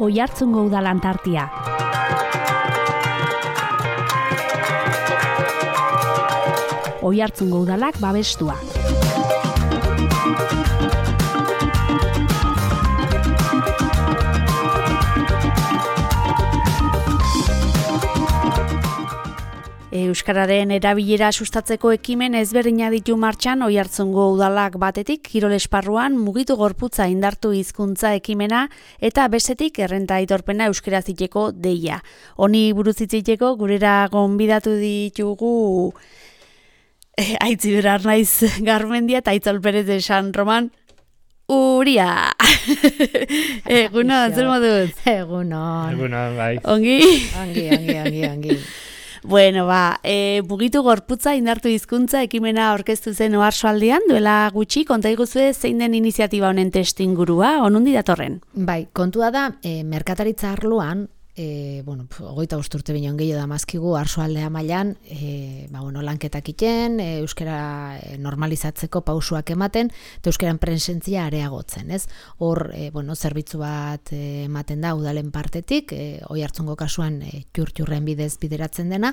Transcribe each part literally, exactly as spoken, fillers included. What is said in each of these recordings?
Oiartzungo udalan tartia. Oiartzungo udalak babestua. Euskararen erabilera sustatzeko ekimen ezberdina ditu martxan Oiartzungo udalak batetik kirol esparruan mugitu gorputza indartu hizkuntza ekimena eta bestetik errenta aitorpena euskaraz hiteko deia. Honi buruz hitz egiteko gurera gonbidatu ditugu eh, Aitziberar naiz Garmendia eta Aitzol Perez de San Roman Uria. Egunon, zer moduz? Egunon. Egunon, bai. Ongi? Ongi, ongi, ongi, ongi. Bueno, ba, e, mugitu gorputza indartu hizkuntza ekimena aurkeztu zen Oarsoaldean, duela gutxi, konta iguzue zein den iniziatiba honen testuingurua, onundi datorren? Bai, kontua da, e, merkataritza arloan, e, bueno, hogeita bost urte bineon gehiago da mazkigu, Oarsoaldea mailan, e, ba, bueno, lanketak iten, e, euskara normalizatzeko pausuak ematen, eta euskaran presentzia areagotzen, ez? Hor, e, bueno, zerbitzu bat e, ematen da udalen partetik, e, Oiartzungo kasuan e, txur-txurren bidez bideratzen dena,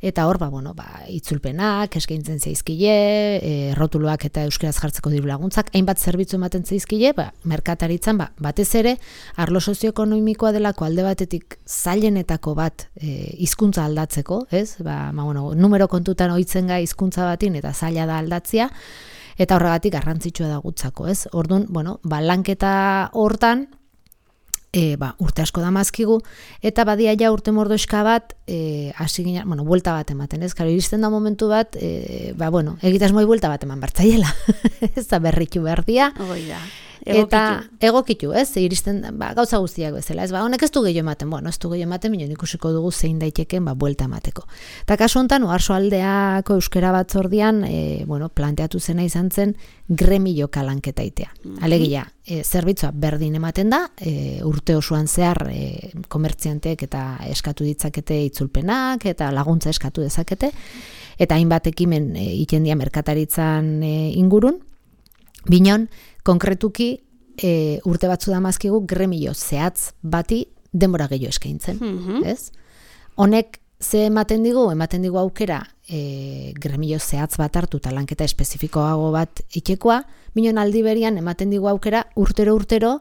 eta hor, ba, bueno, ba, itzulpenak, eskaintzen zaizkile, e, rotuluak eta euskaraz jartzeko diru laguntzak, hainbat zerbitzu ematen zaizkile, ba, merkataritzan, ba, batez ere, arlo sozioekonomikoa delako alde batetik zailenetako bat e, hizkuntza aldatzeko, ez? Ba, ma, bueno, numero kontutan ohitzen ga hizkuntza batin eta zaila da aldatzia, eta horregatik garrantzitsua da gutzako, ez? Orduan, bueno, ba, lanketa hortan, e, ba, urte asko da mazkigu, eta badia ja urte mordoska bat, e, hasi ginen, bueno, buelta bat ematen, ez? Karo, iristen da momentu bat, e, ba, bueno, egitasmoi buelta bat eman bartzaiela, ez da berritu behar dia. Hoi da. Egokitu. Eta egokitu, ez, iristen ba, gauza guztiak bezala, ez, ba, honek ez du gehiago ematen, bueno, ez du gehiago ematen, minon ikusiko dugu zein daiteken, ba, buelta emateko. Eta kasu honetan, Oarsoaldeako euskera batzordian, e, bueno, planteatu zena izan zen, gremio kalanketa itea. Mm-hmm. Alegia, e, zerbitzua berdin ematen da, e, urte osoan zehar, e, komertzianteek eta eskatu ditzakete itzulpenak, eta laguntza eskatu dezakete, eta hainbat ekimen e, itendia merkataritzan e, ingurun, binon, konkretuki e, urte batzu da mazkigu gremio zehatz bati denbora gehiago eskaintzen, mm-hmm. ez? Honek ze ematen digu, ematen digu aukera e, gremio zehatz bat hartu eta lanketa espezifikoago bat itxekoa, binon aldi berian ematen digu aukera urtero-urtero,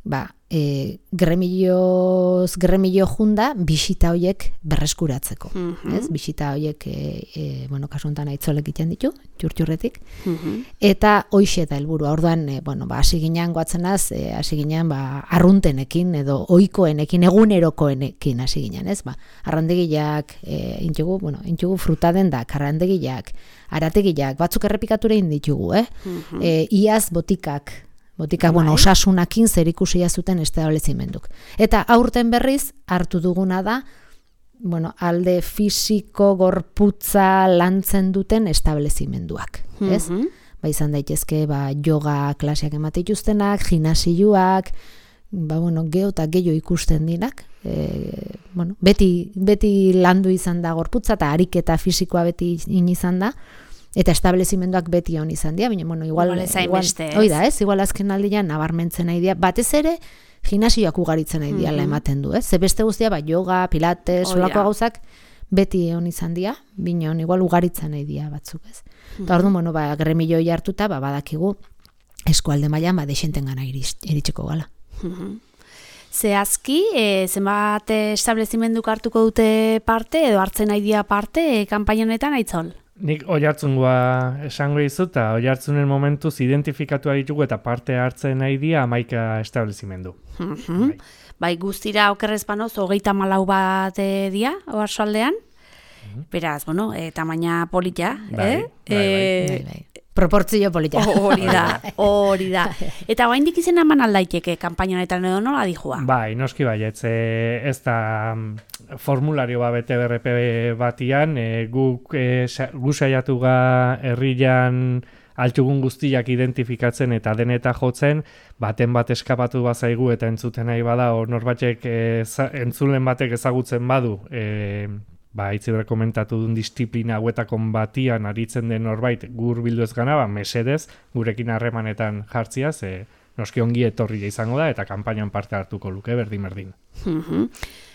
ba, e, gremioz, gremio junda bisita hoiek berreskuratzeko, mm-hmm. ez? Bisita hoiek, e, e, bueno, kasu honetan Aitzolek iten ditu, txur-txurretik, mm-hmm. eta hoixe da helburua. Orduan, e, bueno, ba, hasi ginean goatzenaz, e, hasi ginean, ba, arruntenekin, edo ohikoenekin, egunerokoenekin hasi ginean, ez? Ba, arrandegiak, e, intxugu, bueno, intxugu frutadendak, arrandegiak, arategiak, batzuk errepikature inditugu, eh? Mm-hmm. E, iaz botikak, Botika, bueno, osasunakin zerikusia zuten establezimenduk. Eta aurten berriz hartu duguna da, bueno, alde fisiko gorputza lantzen duten establezimenduak, ez? Mm-hmm. Ba, izan daitezke, ba, yoga klaseak emate dituztenak, gimnasioak, ba, bueno, geho eta gehiago ikusten dinak, e, bueno, beti, beti landu izan da gorputza, eta ariketa fisikoa beti in izan da, eta establezimenduak beti hon izan dira, baina, bueno, igual, igual, oi da, ez? Igual azken aldian nabarmentzen nahi dira, batez ere, gimnasioak ugaritzen nahi dira, mm-hmm. ematen du, ez? Ze beste guztia, ba, yoga, pilates, solako gauzak, beti hon izan dira, baina igual ugaritzen nahi dira batzuk, ez? Mm-hmm. Eta orduan, bueno, ba, gremioi hartuta, ba, badakigu, eskualde mailan, ba, dexenten gana iritsiko gala. Mm-hmm. Zehazki, e, zenbat establezimenduk hartuko dute parte, edo hartzen nahi dira parte, e, kanpaina honetan, Aitzol? Nik Oiartzungoa esango dizu, eta Oiartzunen momentuz identifikatu ditugu eta parte hartzen nahi dia hamaika establezimendu. Mm-hmm. Bai. Bai, guztira okerrez banoz, hogeita malau bat e, dia, Oarsoaldean. Mm-hmm. Beraz, bueno, e, tamaina polita, bai, eh? Bai, bai, e, bai, bai. Proportzio polita. Hori da, hori da. Eta oraindik izena eman aldaiteke kanpaina honetan edo nola dijua? Bai, noski baietz, e, ez da formulario bat bete B R P batian, e, guk e, gu saiatu ga herrian altxugun guztiak identifikatzen eta deneta jotzen, baten bat eskapatu bazaigu eta entzuten nahi bada, o norbatek e, entzulen batek ezagutzen badu, e, ba, itzibre komentatu duen disiplina hauetakon batian aritzen den norbait gur bildu ez gana, ba, mesedez, gurekin harremanetan jartzia, ze noski ongi etorria izango da, eta kanpainan parte hartuko luke, berdin-berdin.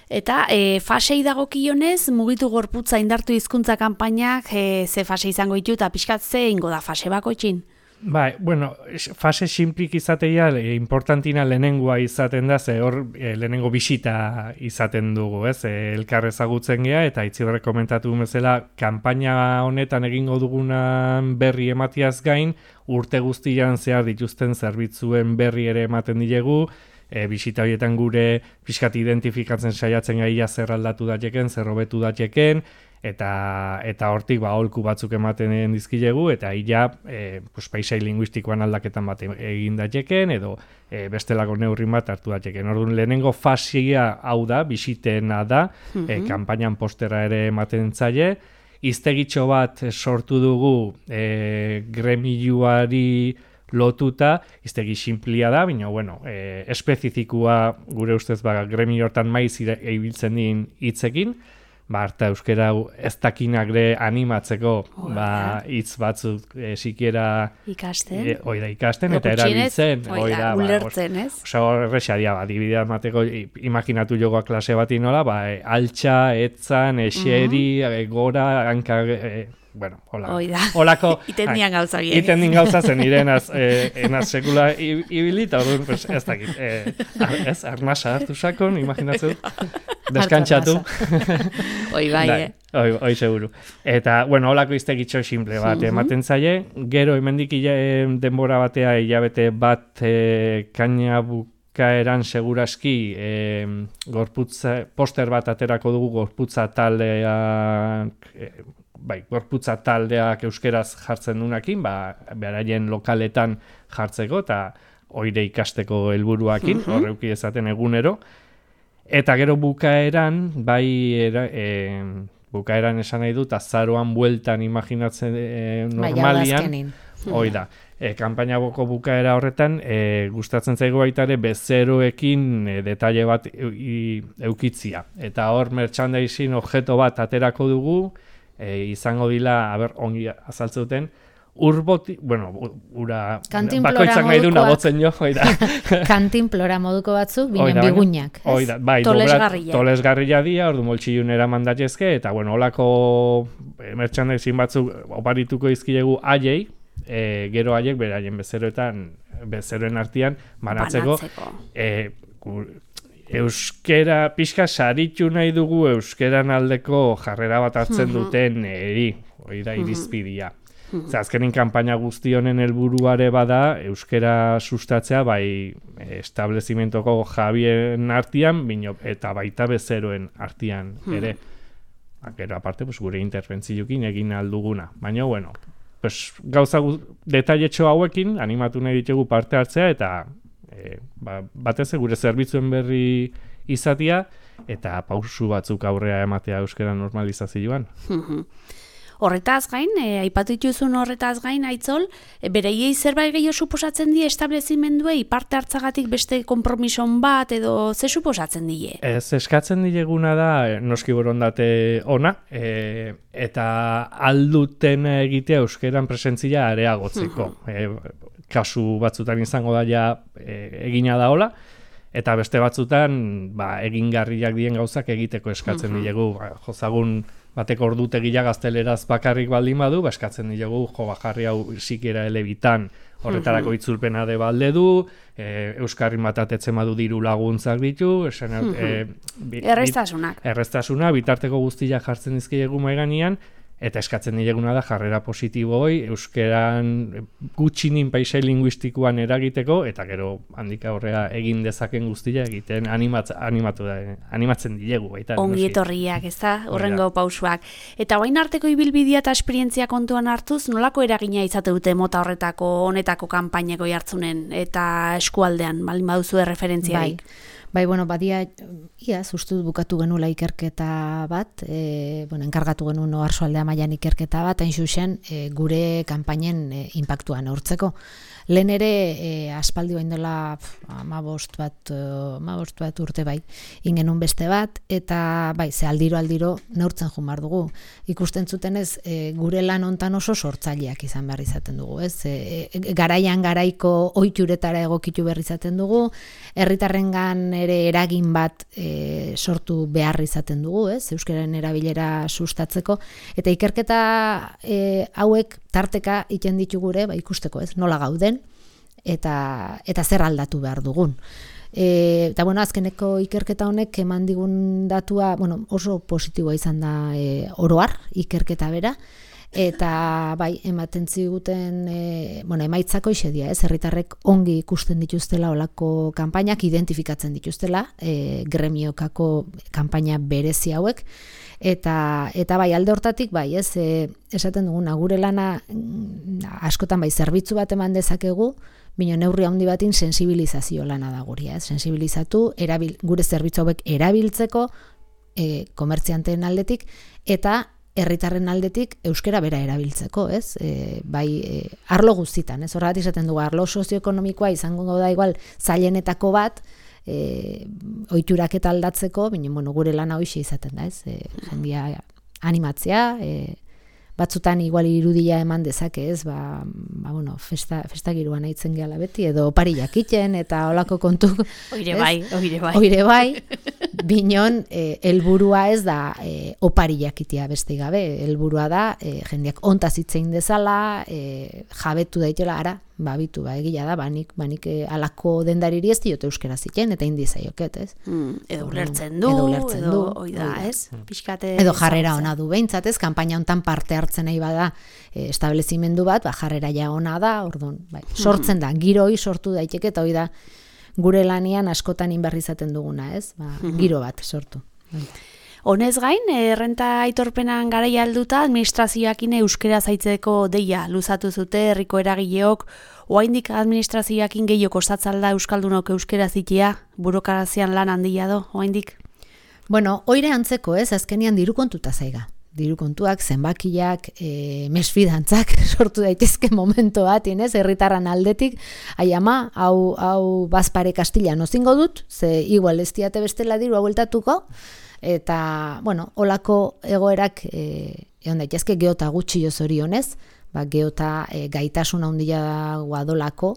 Eta e, fasei dagokionez, mugitu gorputza indartu hizkuntza kanpainak e, ze fase izango ditu eta pixkat ze ingo da fase bakoitzin? Bai, bueno, fase simplik izateia e, importantina lehenengoa izaten da, ze hor e, lehenengo bisita izaten dugu, ez? E, elkar ezagutzen gea, eta itziberre komentatu bezala, kanpaina honetan egingo dugunan berri ematiaz gain, urte guztian zehar dituzten zerbitzuen berri ere ematen dilegu, e, bisita horietan gure pixkat identifikatzen saiatzen gaia zer aldatu dateken, zer hobetu dateken, eta eta hortik ba aholku batzuk ematen dizkilegu, eta illa e, pues, paisai linguistikoan aldaketan bat egin dateken, edo e, bestelako neurrin bat hartu dateken. Orduan lehenengo fasia hau da, bisitena da, mm-hmm. e, kanpainan postera ere ematen zaie, iztegitxo bat sortu dugu e, gremiluari lotuta, iztegi sinplia da, baina, bueno, e, espezifikoa gure ustez ba, gremio hortan maiz ibiltzen din hitzekin, ba, harta euskera ez dakinak ere animatzeko oh, ba, hitz batzuk e, sikiera ikasten, e, oida ikasten eta erabiltzen, oida, ulertzen, ez? Osa, horrexia dia, ba, dibidea mateko, imaginatu jogoa klase bati nola, ba, e, altxa, etzan, eseri, uh-huh. e, gora, hanka, e, bueno, hola. Oida. Olako iten dian gauza bien. Iten din gauza zen irenaz eh, enaz sekula ibilita, orduan, pues, ez dakit. Eh, ez, arnasa hartu sakon, imaginatzen. Deskantzatu. Oi bai, eh? Oi, oi seguru. Eta, bueno, holako iztegitxo simple bat uh-huh. ematen zaie. Gero, hemendik denbora batea, hilabete bat e, kaina bukaeran seguraski e, gorputza, poster bat aterako dugu gorputza taldeak, e, bai, gorputza taldeak euskeraz jartzen dunakin, ba, beraien lokaletan jartzeko, eta oire ikasteko helburuakin, uh-huh. horreuki ezaten egunero. Eta gero bukaeran, bai, era, e, bukaeran esan nahi dut, azaroan bueltan imaginatzen e, normalian, hoi da. E, kanpaina boko bukaera horretan, e, gustatzen zaigu baita ere bezeroekin e, detaile bat e, eukitzia. Eta hor merchandising objeto bat aterako dugu, e, izango dila, aber, ongi azaltzen urboti, bueno, ura, bakoitzak nahi duna botzen jo, oida. Kantinplora moduko batzuk, binen bigunak, ez? Oida, bai, tolesgarria. Tolesgarria dia, ordu moltxilunera mandatezke, eta, bueno, holako merchandising batzuk oparituko izkilegu aiei, e, gero aiek beraien bezeroetan, bezeroen artean, banatzeko, e, euskera, pixka saritu nahi dugu euskeran aldeko jarrera bat hartzen duten eri, hori da irizpidia. Zer, azkenin kanpaina guzti honen helburuare bada euskera sustatzea bai establezimentoko jabien artean bino, eta baita bezeroen artean ere. Gero aparte, pues, gure interbentzioekin egin alduguna. Baina, bueno, pues, gauza detailetxo hauekin animatu nahi ditugu parte hartzea eta E, ba, batez gure zerbitzuen berri izatia eta pausu batzuk aurrea ematea euskera normalizazioan. Horretaz gain, e, aipatu dituzun horretaz gain, Aitzol, e, bereiei zerbait gehiago suposatzen die establezimenduei parte hartzagatik beste konpromison bat edo ze suposatzen die? Ez, eskatzen dieguna da noski borondate ona, e, eta alduten egitea euskeran presentzia areagotzeko. e, kasu batzutan izango da ja e, egina da hola, eta beste batzutan ba, egingarriak dien gauzak egiteko eskatzen uh-huh. diegu. Ba, jozagun bateko ordutegia gazteleraz bakarrik baldin badu, ba, eskatzen diegu jo bajarri hau sikiera elebitan horretarako uh-huh. itzulpena de balde du, e, euskarri matatetzen badu diru laguntzak ditu, esan, uh-huh. e, bi, erreztasunak. Erreztasuna, bitarteko guztiak jartzen dizkiegu maiganean, eta eskatzen dieguna da jarrera positiboi euskeran gutxinin paisai linguistikoan eragiteko eta gero handika horrea egin dezaken guztia egiten animatz, animatu da, animatzen dilegu baita. Ongi etorriak, ez da, horrengo pausuak. Eta orain arteko ibilbidea eta esperientzia kontuan hartuz, nolako eragina izate dute mota horretako honetako kanpaineko jartzunen eta eskualdean, baldin baduzu referentziarik? Bai. Bai, bueno, badia, ia, ustut bukatu genula ikerketa bat, e, bueno, enkargatu genuen Oarsoaldea mailan ikerketa bat, hain zuzen, e, gure kanpainen e, inpaktua neurtzeko. Lehen ere, e, aspaldi bain dela amabost bat, amabost bat urte bai, ingenun beste bat, eta bai, ze aldiro aldiro neurtzen jumar dugu. Ikusten zutenez, e, gure lan hontan oso sortzaileak izan behar izaten dugu, ez? E, e, garaian garaiko ohituretara egokitu behar izaten dugu, herritarrengan ere eragin bat e, sortu behar izaten dugu, ez? Euskararen erabilera sustatzeko, eta ikerketa e, hauek tarteka iten ditu gure, ba, ikusteko, ez? Nola gauden, eta, eta zer aldatu behar dugun. E, eta bueno, azkeneko ikerketa honek eman digun datua, bueno, oso positiboa izan da e, oroar ikerketa bera, eta bai, ematen ziguten, e, bueno, emaitzako isedia, ez, herritarrek ongi ikusten dituztela olako kanpainak, identifikatzen dituztela, e, gremiokako kanpaina berezi hauek, eta eta bai, alde hortatik, bai, ez, e, esaten duguna, gure lana askotan bai, zerbitzu bat eman dezakegu, bino neurri handi batin sensibilizazio lana da guria, ez, sensibilizatu, erabil, gure zerbitzu hauek erabiltzeko, e, komertzianteen aldetik, eta herritarren aldetik euskera bera erabiltzeko, ez? E, bai, e, arlo guztitan, ez? Horregatik izaten dugu, arlo sozioekonomikoa izango da igual zailenetako bat, e, ohiturak eta aldatzeko, baina bueno, gure lana hoxe izaten da, ez? E, jendia animatzea, e, batzutan igual irudia eman dezake, ez? Ba, ba bueno, festa, festa giroan aitzen gehala beti, edo opariak iten, eta olako kontuk. Oire bai, oire bai. Oire bai, binon, e, helburua ez da e, opariak itea beste gabe, helburua da, e, jendeak ontaz hitzein dezala, e, jabetu daitela, ara, ba, bitu, ba, egila da, banik, banik e, alako dendariri ez diote euskera ziten, eta indi zaioket, ez? Mm, edo ulertzen du, edo, ulertzen edo, du, oida, ez? Pixkate edo jarrera ona du behintzat, ez? Kanpaina hontan parte hartzen nahi bada e, establezimendu bat, ba, jarrera ja ona da, orduan, bai, sortzen da, giroi sortu daiteke, eta hoi da, gure lanian askotan inberri izaten duguna, ez? Ba, giro bat sortu. Honez gain, errenta aitorpenan garaia helduta administrazioakin euskera zaitzeko deia luzatu zute herriko eragileok, oraindik administrazioakin gehiago kostatzen da euskaldunok euskera zitea, burokrazian lan handia do, oraindik. Bueno, oire antzeko, ez, azkenian diru kontuta zaiga. Diru kontuak, zenbakiak, e, mesfidantzak sortu daitezke momento bat, ez, herritarran aldetik, ai ama, hau, hau bazpare kastila nozingo dut, ze igual ez diate bestela diru haueltatuko, eta, bueno, olako egoerak e, egon daitezke geota gutxi zorionez, ba, geota e, gaitasun handia guadolako,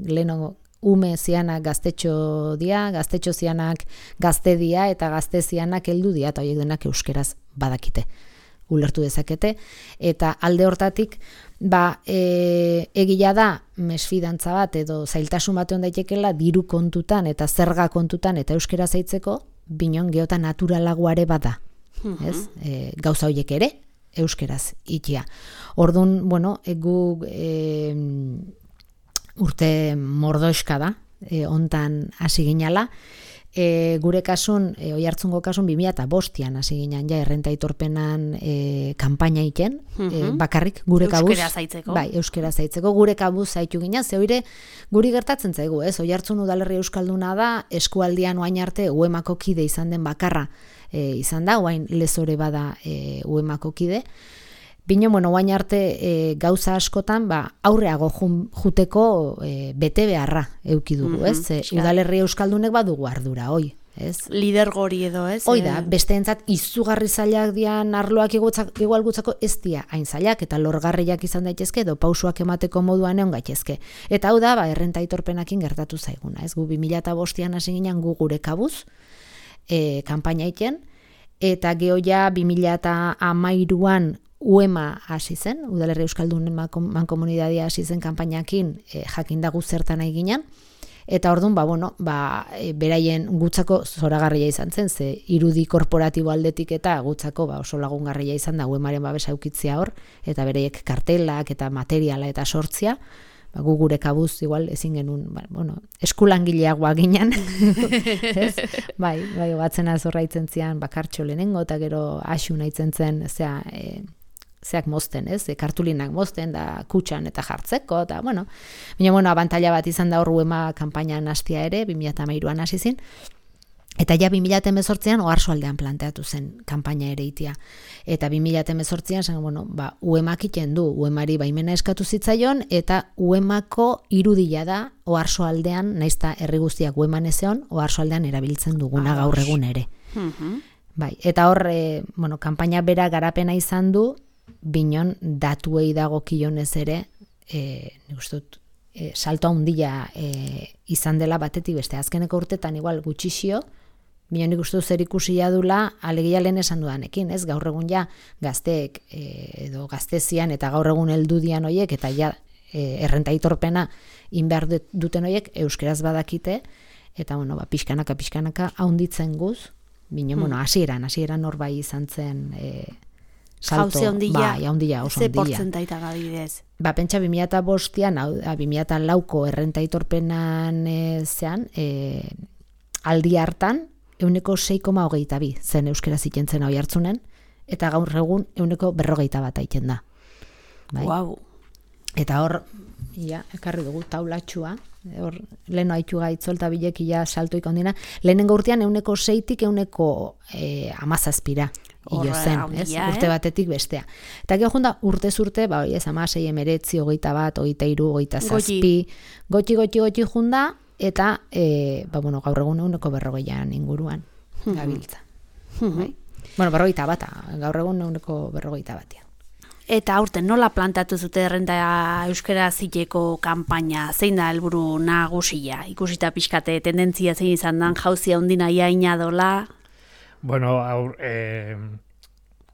leheno ume zianak gaztetxo dia, gaztetxo zianak gazte dia, eta gazte zianak heldu dia, eta horiek denak euskeraz badakite, ulertu dezakete, eta alde hortatik, ba, e, egila da, mesfidantza bat, edo zailtasun bat egon daitekela, diru kontutan, eta zerga kontutan, eta euskera zaitzeko, binon geota naturalagoare bada, ez? E, gauza horiek ere, euskeraz itia. Orduan, bueno, egu e, urte mordoiska da, e, ontan hasi ginala, e, gure kasun, e, Oiartzungo kasun, bi mila bostean hasi ginen, ja, errenta aitorpenan e, kanpaina iken, e, bakarrik gure kabuz. Euskera zaitzeko. Bai, euskera zaitzeko, gure kabuz zaitu ginen, ze hoire guri gertatzen zaigu, ez? Oiartzun udalerri euskalduna da, eskualdian oain arte uemako kide izan den bakarra e, izan da, oain lezore bada e, uemako kide. Bino, bueno, oain arte e, gauza askotan, ba, aurreago jun, juteko e, bete beharra euki dugu, ez? E, udalerri euskaldunek badugu ardura, oi, ez? Lidergori edo, ez? Hoi da, besteentzat izugarri zailak dian arloak igual gutzako ez dia hain zailak, eta lorgarriak izan daitezke, edo pausuak emateko moduan egon gaitezke. Eta hau da, ba, errenta aitorpenakin gertatu zaiguna, ez? Gu bi mila bostean hasi ginen gu gure kabuz, e, kanpaina iten, eta geho ja bi mila hamairuan uema hasi zen, udalerri euskaldun mankomunidadia hasi zen kanpainakin e, jakindagu zertan nahi ginen, eta orduan, ba, bueno, ba, e, beraien gutzako zoragarria izan zen, ze irudi korporatibo aldetik eta gutzako ba, oso lagungarria izan da uemaren babesa eukitzia hor, eta bereiek kartelak eta materiala eta sortzia, ba, gu gure kabuz igual ezin genuen, ba, bueno, eskulangileagoa ginen, ez? Bai, bai, batzena zorraitzen zian bakartxo lehenengo, eta gero asu nahitzen zen, zea, e, zeak mozten, ez? E, kartulinak mozten da kutxan eta jartzeko, eta, bueno, baina, bueno, abantaila bat izan da hor uema kanpainan hastia ere, bi mila hamairuan hasi zin, Eta ja bi mila hemezortzian Oarsoaldean planteatu zen kanpaina ere itia. Eta bi mila hemezortzian zen, bueno, ba, U E M ak iten du, U E M ari baimena eskatu zitzaion, eta U E M ako irudia da Oarsoaldean, naizta herri guztiak U E M an ezeon, Oarsoaldean erabiltzen duguna gaur egun ere. Bai, eta hor, e, bueno, kanpaina bera garapena izan du, binon datuei dagokionez ere, e, nik uste dut, e, salto handia e, izan dela batetik beste. Azkeneko urtetan igual gutxixio, Bino nik uste zer ikusia dula alegia lehen esan dudanekin, ez? Gaur egun ja gazteek e, edo gaztezian eta gaur egun heldudian hoiek eta ja e, errenta aitorpena inbehar duten hoiek euskeraz badakite eta bueno, ba, pixkanaka pixkanaka haunditzen guz, bino, hmm. bueno, hasieran, hasieran hor bai izan zen e, salto, ba, haundia, oso ze handia. portzentaita gabidez? Ba, pentsa bi mila bostean, bi mila lauko errenta aitorpenan e, zean, e, aldi hartan, euneko sei koma hogeita bi zen euskera zikentzen hoi hartzunen, eta gaur egun euneko berrogeita bat aiten da. Bai? Wow. Eta hor, ja, ekarri dugu taulatxua, hor, leheno haitu gaitzo eta bilekia saltoik ondina, lehenengo urtean euneko seitik euneko e, amazazpira. Io zen, ez? Handia, Urte eh? batetik bestea. Eta gero junda, urtez urte, ba, ez, amasei, emeretzi, hogeita bat, hogeita iru, hogeita zazpi, gotxi, gotxi, gotxi junda, eta, e, ba, bueno, gaur egun eguneko berrogeian inguruan gabiltza. Bai? Bueno, berrogeita bata, gaur egun eguneko berrogeita batean. Eta aurten nola plantatu zute errenta euskera ziteko kanpaina, zein da helburu nagusia? Ikusita pixkate tendentzia zein izan dan, jauzia ondina iaina dola? Bueno, aur, e,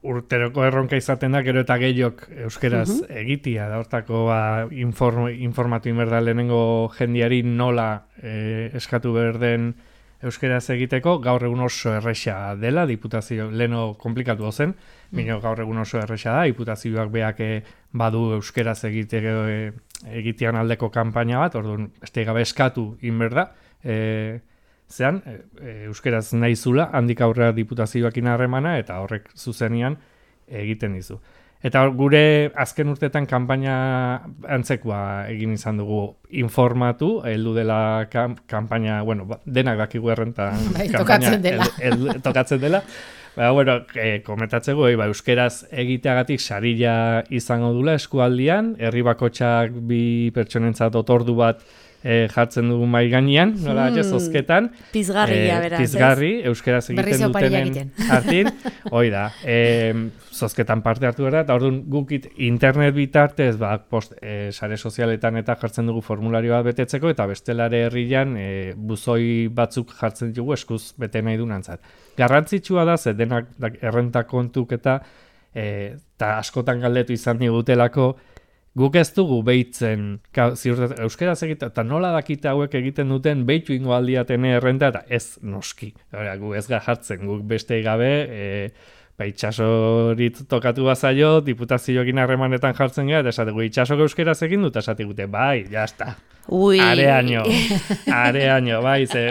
urteroko erronka izaten da, gero eta gehiok euskeraz uh -huh. egitia, da hortako ba, inform, informatu inberda lehenengo jendiari nola e, eskatu behar den euskeraz egiteko, gaur egun oso erresa dela, diputazio, leheno komplikatu zen, bino gaur egun oso erresa da, diputazioak beak e, badu euskeraz egiteko, e, egitean aldeko kanpaina bat, orduan, beste gabe eskatu inberda, e, zean, e, euskeraz nahizula, handik aurrera diputazioakin harremana, eta horrek zuzenian egiten dizu. Eta gure azken urtetan kanpaina antzekoa egin izan dugu informatu, heldu dela kan, kanpaina, bueno, denak dakigu errenta bai, tokatzen dela. El, el, tokatzen dela. Ba, bueno, e, komentatzeko, e, ba, euskeraz egiteagatik sarila izango dula eskualdian, herri bakotxak bi pertsonentzat otordu bat E, jartzen dugu mai gainean, nola hmm. zozketan. Pizgarria, e, beraz. Pizgarri, euskaraz egiten dutenen hartin. Hoi da, e, zozketan parte hartu gara, eta orduan gukit internet bitartez, ba, post, e, sare sozialetan eta jartzen dugu formulario bat betetzeko, eta bestelare herrian e, buzoi batzuk jartzen dugu eskuz bete nahi dunantzat. Garrantzitsua da, ze denak errenta kontuk eta e, ta askotan galdetu izan digutelako, guk ez dugu behitzen, euskeraz egiten, eta nola dakite hauek egiten duten, behitu ingo aldiatene errenta, eta ez noski. Hora, gu ez gajartzen, guk beste gabe, e, ba, itxasorit tokatu bazaio, diputazioekin harremanetan jartzen gara, eta esategu, itxasok euskeraz egin dut, esate gute, bai, jazta. Ui. Areaino, areaino, bai, ze,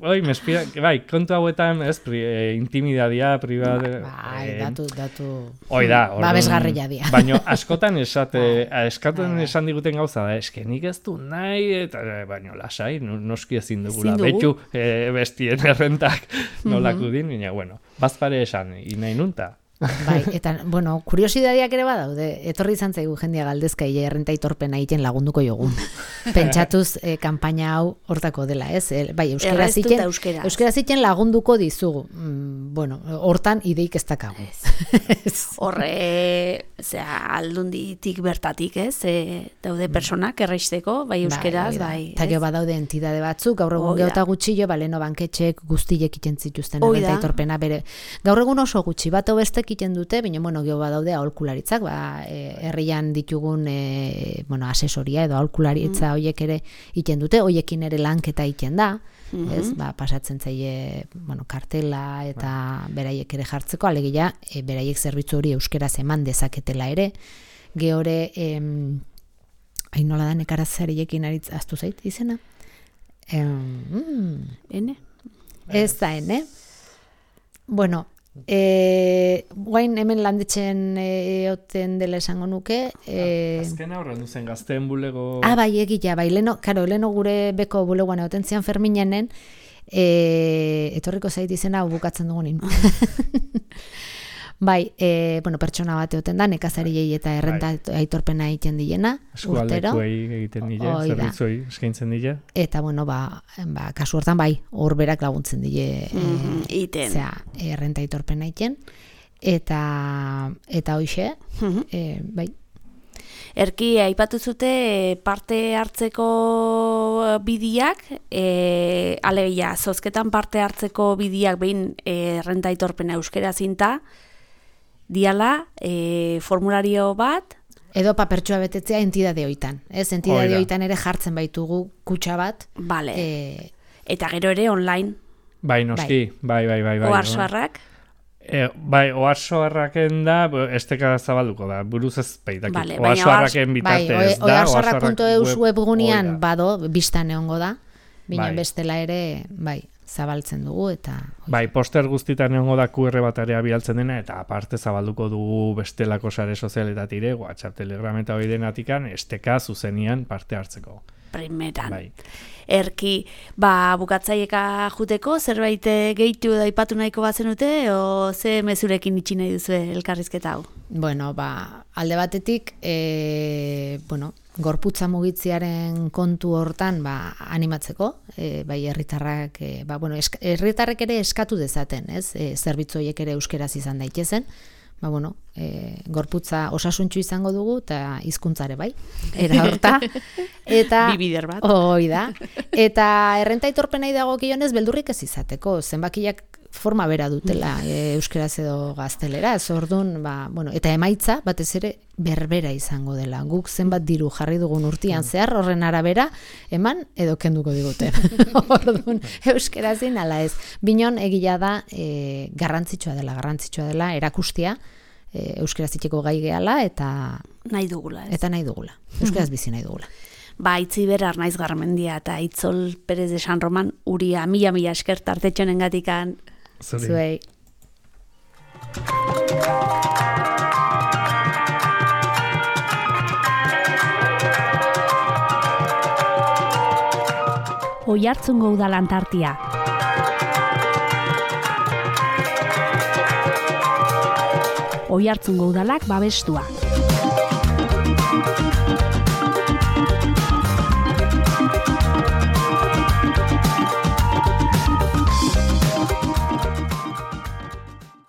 oi, mespira, bai, kontu hauetan, ez, pri, e, intimidadia, privade... Bai, e, datu, datu... Oi da, orduan... Babesgarria dia. Baina askotan esate, eskaten esan diguten gauza da, eske nik ez du nahi, eta baina lasai, noski ezin dugula, betu e, bestien errentak nolako din, baina, bueno, bazpare esan, inai nunta. Bai, eta, bueno, kuriosidadiak ere badaude, etorri izan zaigu jendia galdezka ile errenta aitorpena egiten lagunduko jogun. Pentsatuz eh, kanpaina hau hortako dela, ez? E, bai, euskera ziken, euskera ziken lagunduko dizugu. Mm, bueno, hortan ideik ez dakagu. Horre, zera, aldunditik bertatik, ez? E, daude personak erraisteko, bai euskeraz, bai. bai eta gero badaude entidade batzuk, gaur egun geota gutxillo, baleno banketxek guztiek iten zituzten errenta aitorpena bere. Gaur egun oso gutxi, bat obestek iten dute, baina, bueno, geho badaude aholkularitzak, ba, e, herrian ditugun, e, bueno, asesoria edo aholkularitza mm. hoiek ere iten dute, hoiekin ere lanketa iten da, mm-hmm. ez, ba, pasatzen zaie, bueno, kartela eta beraiek ere jartzeko, alegia, e, beraiek zerbitzu hori euskeraz eman dezaketela ere, gehore, em, hain nola da nekarazariekin aritz, aztu zait izena? Em, mm, ene? Ez da, ene? Bueno, E, guain hemen landetzen e, oten dela esango nuke e, azken aurren duzen gazteen bulego ah bai egia, bai, leno, karo, leno gure beko bulegoan egoten zian Ferminenen E, etorriko zait izena bukatzen dugunin. Bai, e, bueno, pertsona bat egoten da, nekazariei eta errenta aitorpena egiten diena, urtero. Eskualdekuei egiten dile, zerbitzoi eskaintzen dile. Eta, bueno, ba, ba, kasu hortan, bai, horberak laguntzen dile, mm, e, iten. Zera, errenta aitorpena egiten. Eta, eta hoxe, Mm-hmm. e, bai. Erki, aipatu zute parte hartzeko bidiak, e, alegia, zozketan parte hartzeko bidiak behin e, errenta aitorpena euskera zinta, diala, e, formulario bat, Edo papertxoa betetzea entidade hoitan. Ez, entidade hoitan ere jartzen baitugu kutxa bat. Vale. E, eta gero ere online. Bai, noski, bai, bai, bai. bai Oarsoarrak. E, bai, oarsoarraken da, esteka zabalduko da, buruz ez baitaki. Vale, oarsoarraken bitartez bai, da. Oarsoarrak puntu eus webgunean bado, biztan egongo da. Binen bai. bestela ere, bai, zabaltzen dugu eta... Bai, poster guztitan egongo da Q R batarea bialtzen dena, eta aparte zabalduko dugu bestelako sare sozialetatire, WhatsApp, Telegram eta hori denatikan, esteka zuzenian parte hartzeko. Primeran. Bai. Erki, ba, bukatzaieka juteko, zerbait gehitu da ipatu nahiko bazenute, o ze mezurekin itxi nahi duzue elkarrizketa hau? Bueno, ba, alde batetik, e, bueno, gorputza mugitziaren kontu hortan ba, animatzeko, e, bai herritarrak, e, ba, bueno, esk, herritarrek ere eskatu dezaten, ez? E, zerbitzu horiek ere euskeraz izan daitezen, ba, bueno, e, gorputza osasuntxu izango dugu, eta hizkuntzare bai, era horta. Eta, Bibider bat. Hoi da. Eta errenta aitorpenei dagokionez beldurrik ez izateko, zenbakiak forma bera dutela e, euskeraz edo gaztelera, ez orduan, ba, bueno, eta emaitza batez ere berbera izango dela. Guk zenbat diru jarri dugun urtian zehar, horren arabera, eman edo kenduko diguten. Orduan, euskerazin ala ez. Binon egila da e, garrantzitsua dela, garrantzitsua dela erakustia, e, euskeraz itxeko gai gehala, eta nahi dugula, ez? Eta nahi dugula. Euskeraz bizi nahi dugula. Ba, Itziber Arnaiz Garmendia eta Itzol Perez de San Roman uria mila mila esker tartetxonen gatikan. Zuei. Oiartzungo udalan tartia. Oiartzungo udalak babestua.